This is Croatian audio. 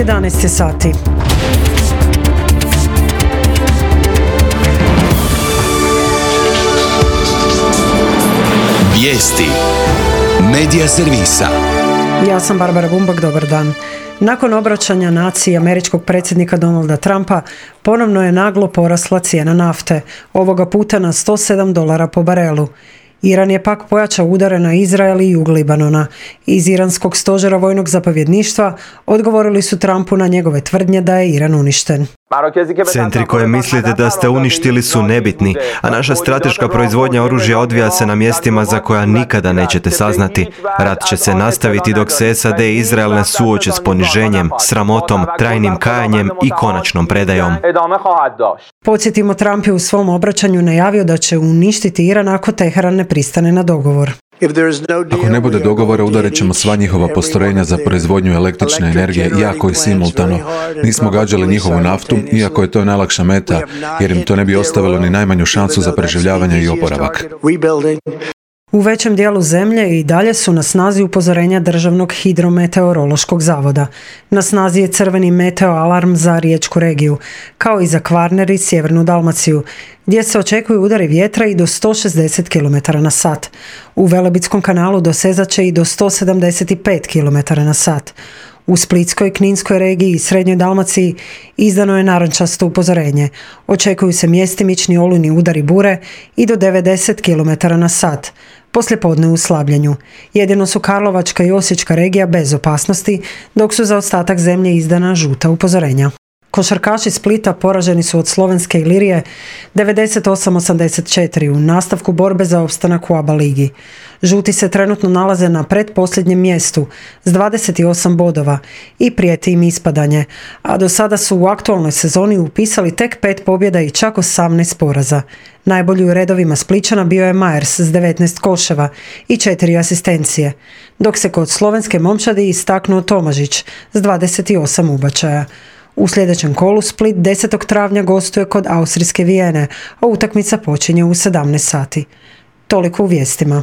11 sati. Vijesti Medija servisa. Ja sam Barbara Bumbak, dobar dan. Nakon obraćanja naciji američkog predsjednika Donalda Trumpa, ponovno je naglo porasla cijena nafte, ovoga puta na $107 po barelu. Iran je pak pojačao udare na Izrael i jug Libanona. Iz iranskog stožera vojnog zapovjedništva odgovorili su Trumpu na njegove tvrdnje da je Iran uništen. Centri koje mislite da ste uništili su nebitni, a naša strateška proizvodnja oružja odvija se na mjestima za koja nikada nećete saznati. Rat će se nastaviti dok se SAD i Izrael ne suoče s poniženjem, sramotom, trajnim kajanjem i konačnom predajom. Podsjetimo, Trump je u svom obraćanju najavio da će uništiti Iran ako Teheran ne pristane na dogovor. Ako ne bude dogovora, udarit ćemo sva njihova postrojenja za proizvodnju električne energije, iako i simultano. Nismo gađali njihovu naftu, iako je to najlakša meta, jer im to ne bi ostavilo ni najmanju šansu za preživljavanje i oporavak. U većem dijelu zemlje i dalje su na snazi upozorenja Državnog hidrometeorološkog zavoda. Na snazi je crveni meteo alarm za riječku regiju, kao i za Kvarner i sjevernu Dalmaciju, gdje se očekuju udari vjetra i do 160 km na sat. U Velebitskom kanalu dosezat će i do 175 km na sat. U Splitskoj, Kninskoj regiji i Srednjoj Dalmaciji izdano je narančasto upozorenje. Očekuju se mjestimični olujni udari bure i do 90 km na sat. Poslijepodne u slabljenju. Jedino su Karlovačka i Osječka regija bez opasnosti, dok su za ostatak zemlje izdana žuta upozorenja. Košarkaši Splita poraženi su od Slovenske Ilirije 98-84 u nastavku borbe za opstanak u ABA ligi. Žuti se trenutno nalaze na pretposljednjem mjestu s 28 bodova i prijeti im ispadanje, a do sada su u aktualnoj sezoni upisali tek 5 pobjeda i čak 18 poraza. Najbolji u redovima Splićana bio je Majers s 19 koševa i 4 asistencije, dok se kod slovenske momčadi istaknuo Tomažić s 28 ubačaja. U sljedećem kolu Split 10. travnja gostuje kod austrijske Vijene, a utakmica počinje u 17 sati. Toliko u vijestima.